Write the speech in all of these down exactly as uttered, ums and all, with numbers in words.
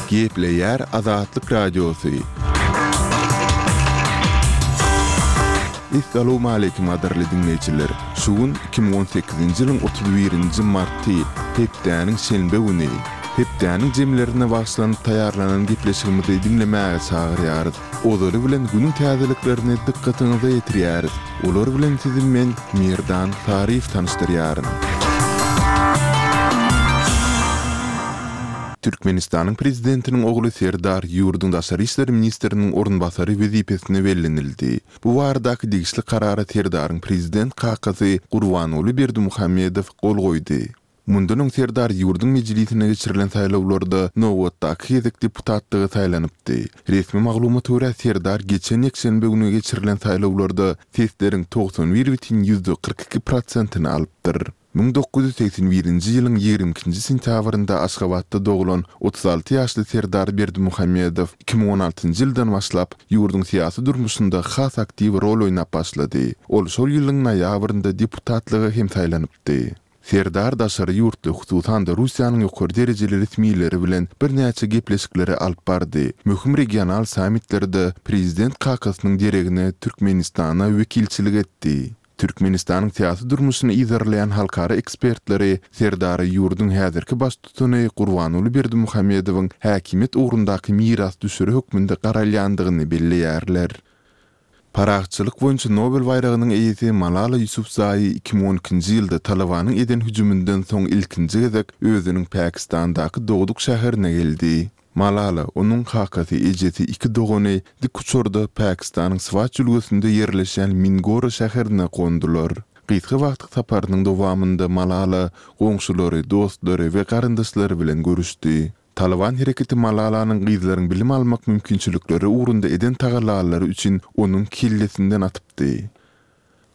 Gepleýär Azatlyk Radiosy. Essalawmaleýkim gadyrly diňleýjiler! Şu gün iki müň on sekizinji ýylyň otuz birinji marty, hepdäniň şenbe güni. Hepdäniň jemlerine bagyşlanyp taýýarlanan gepleşigimizi diňlemäge çagyrýarys. Ozaly bilen günüň täzeliklerini dykgatyňyza ýetirýäris. Olar bilen sizi men, Merdan Saryýew tanyşdyrýaryn. Türkmenistanyň Prezidentiniň ogly Serdar ýurduň daşary işler ministriniň orunbasary wezipesine bellenildi. Bu baradaky degişli karara Serdaryň prezident kakasy Gurbanguly Berdimuhamedow gol goýdy. Mundan öň Serdar ýurduň Mejlisine geçirilen saýlawlarda nobatdaky gezek deputatlyga saýlanypdy. Resmi maglumata görä, Serdar geçen ýekşenbe güni geçirilen saýlawlarda sesleriň togsan bir bütin ýüzde kyrk iki prosentini alypdyr. Müň dokuz ýüz segsen birinji ýylyň ýigrimi ikinji sentýabrynda Aşgabatda doglan otuz alty ýaşly Serdar Berdimuhamedow iki müň on altynjy ýyldan başlap ýurduň syýasy durmuşynda has aktiw rol oýnap başlady. Ol şol ýylyň noýabrynda deputatlyga hem saýlanypdy. Serdar daşary ýurtly, hususan-da Russiýanyň ýokary derejeli resmileri bilen birnäçe gepleşikleri alyp bardy. Möhüm regional sammitlerde prezident kakasynyň deregine Türkmenistana wekilçilik etdi. Türkmenistanyň syýasy durmuşyny yzarlaýan halkara ekspertleri Serdary ýurduň häzirki baştutany Gurbanguly Berdimuhamedowyň häkimiýet ugrundaky mirasdüşeri hökmünde garalýandygyny belleýärler. Parahatçylyk boýunça Nobel baýragynyň eýesi Malala Ýusufzaýi iki müň on ikinji ýylda Talybanyň eden hüjüminden soň ilkinji gezek özüniň Pakistandaky dogduk şäherine geldi. Malala, onuň kakasy, ejesi, iki dogany dikuçarda Pakistanyň Swat jülgesinde ýerleşýän Mingora şäherine gondular. Gysga wagtlyk saparynyň dowamynda Malala goňşulary, dostlary we garyndaşlary bilen görüşdi. Talyban hereketi Malalanyň gyzlaryň bilim almak mümkinçilikleri ugrunda eden tagallalary üçin onuň kellesinden atypdy.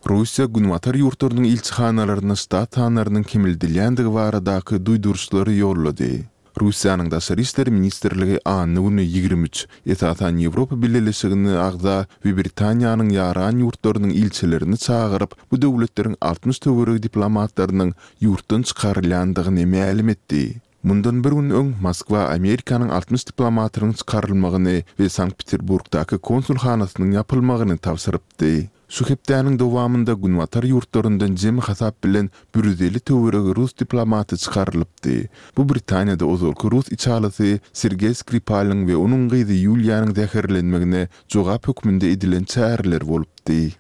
Russiýa Günbatar ýurtlarynyň ilçihanalaryna ştat sanlarynyň kemeldilýändigi baradaky duýduryşlary ýollady. Russiýanyň Daşary işler ministrligi anna güni ýigrimi üç, esasan Ýewropa Bileleşigine agza we Britaniýanyň ýaran ýurtlarynyň ilçilerini çagyryp, bu döwletleriň altmyş töweregi diplomatlarynyň ýurtdan çykarylýandygyny mälim etdi. Mundan bir gün öň Moskwa Amerikanyň altmyş diplomatynyň çykarylmagyny we Sankt-Peterburgdaky konsulhanasynyň ýapylmagyny tabşyrypdy. Şu hepdäniň dowamynda Günbatar ýurtlaryndan jemi hasap bilen bir ýüz elli töweregi rus diplomaty çykarylypdy. Bu Britaniýada ozalky rus içalysy Sergeý Skripalyň we onuň gyzy Ýuliýanyň zäherlenmegine jogap hökmünde edilen çäreler bolupdy.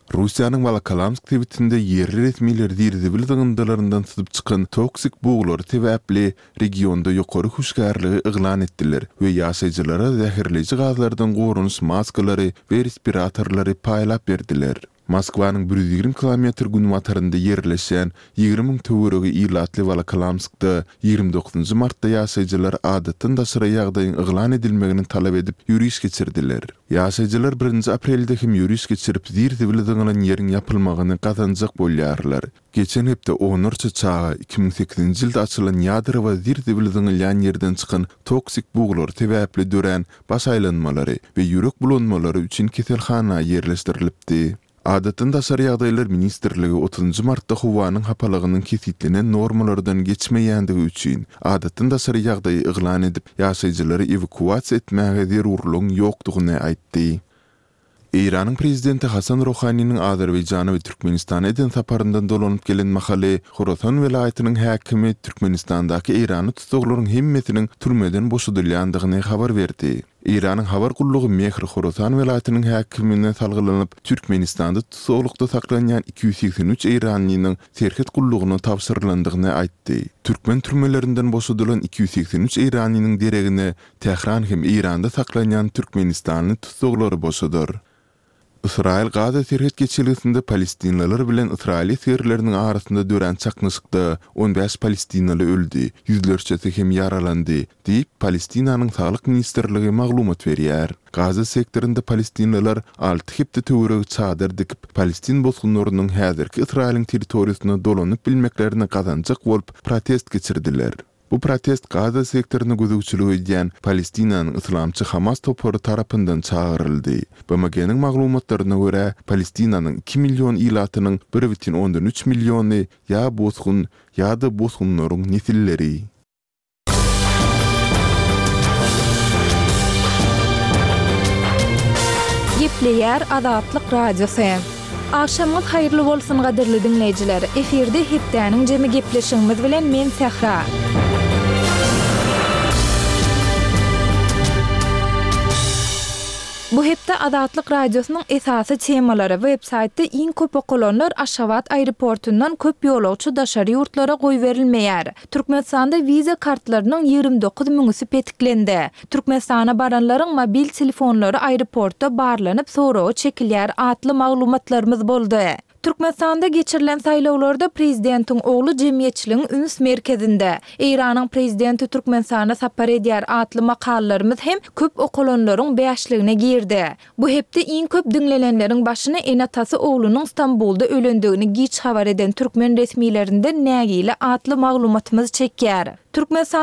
Russiýanyň Wolokolamsk sebitinde ýerli resmiler zir-zibil zyňyndylaryndan syzyp çykan toksik buglary sebäpli regionda ýokary hüşgärligi yglan etdiler we ýaşaýjylara zäherleýji gazlardan goranyş maskalary we respiratorlary paýlap berdiler. Moskwanyň bir ýüz ýigrimi kilometr günbatarynda ýerleşýän ýigrimi müň töweregi ilatly Wolokolamskda ýigrimi dokuzynjy martda ýaşaýjylar adatdan daşary ýagdaýyň yglan edilmegini talap edip ýöriş geçirdiler. Ýaşaýjylar birinji aprelde hem ýöriş geçirip zir-zibil zyňylan ýeriň ýapylmagyny gazanjak bolýarlar. Geçen hepde onlarça çaga iki müň sekizinji ýylda açylan ýadrowa zir-zibil zyňylýan ýerden çykan toksik buglary sebäpli dörän baş aýlanmalary we ýürek bulanmalary üçin keselhana ýerleşdirilipdi. Adatdan daşary ýagdaýlar ministrligi otuzynjy martda howanyň hapalygynyň kesgitlenen normalardan geçmeýändigi üçin adatdan daşary ýagdaýy yglan edip, ýaşaýjylary ewakuasiýa etmäge zerurlygyň ýokdugyny aýtdy. Eýranyň prezidenti Hasan Rohaniniň Azerbaýjana we Türkmenistana eden saparyndan dolanyp gelen mahaly Horasan welaýatynyň häkimi Türkmenistandaky eýranly tussaglaryň hemmesiniň türmeden boşadylýandygyny habar berdi. Eýranyň habar gullugy Mehr Horasan welaýatynyň häkimine salgylanyp, Türkmenistanda tussaglykda saklanýan iki ýüz segsen üç eýranlynyň serhet gullugyna tabşyrylandygyny aýtdy. Türkmen türmelerinden boşadylan iki ýüz segsen üç eýranlynyň deregine Tähran hem Eýranda saklanýan türkmenistanly tussaglary boşadar. Ysraýyl Gaza serhet geçelgesinde palestinliler bilen ysraýyl esgerleriniň arasynda dörän çaknyşykda on bäş palestinaly öldi, ýüzlerçesi hem ýaralandy, diýip, Palestinanyň Saglyk ministrligi maglumat berýär. Gaza sektorynda palestinliler alty hepde töweregi çadyr dikip, palestin bosgunlarynyň häzirki Ysraýylyň territoriýasyna dolanyp bilmeklerini gazanjak bolup protest geçirdiler. Bu protest Gaza sektoryna gözegçilik edýän Palestinanyň yslamçy Hamas topary tarapyndan çagyryldy. B M G-niň maglumatlaryna görä, Palestinanyň iki million ilatynyň bir bütin ondan üç milliony ýa bosgun, ýa-da bosgunlaryň nesilleri. Gepleýär Azatlyk Radiosy. Agşamyňyz haýyrly bolsun gadyrly diňleýjiler. Efirde hepdäniň jemi gepleşigimiz bilen men Sähra. Bu hepde Azatlyk Radiosynyň esasy temalary web saýtda iň köp okalanlar Aşgabat aeroportundan köp ýolagçy daşary ýurtlara goýberilmeýär. Türkmenistanda wiza kartlarynyň ýigrimi dokuz müňüsi petiklendi. Türkmenistana baranlaryň mobil telefonlary aeroportda barlanyp soraga çekilýär atly maglumatlarymyz boldy. Türkmenistanda geçirilen saýlawlarda prezidentiň ogly jemgyýetçiligiň üns merkezinde. Eýranyň prezidenti Türkmenistana sapar edýär atly makalalarymyz hem köp okalanlaryň bäşligine girdi. Bu hepde iň köp diňlenenleriň başyny ene-atasy oglunyň Stambulda ölendigini giç habar eden türkmen resmilerinden nägile atly maglumatymyz çekýär. Türkmenistanyň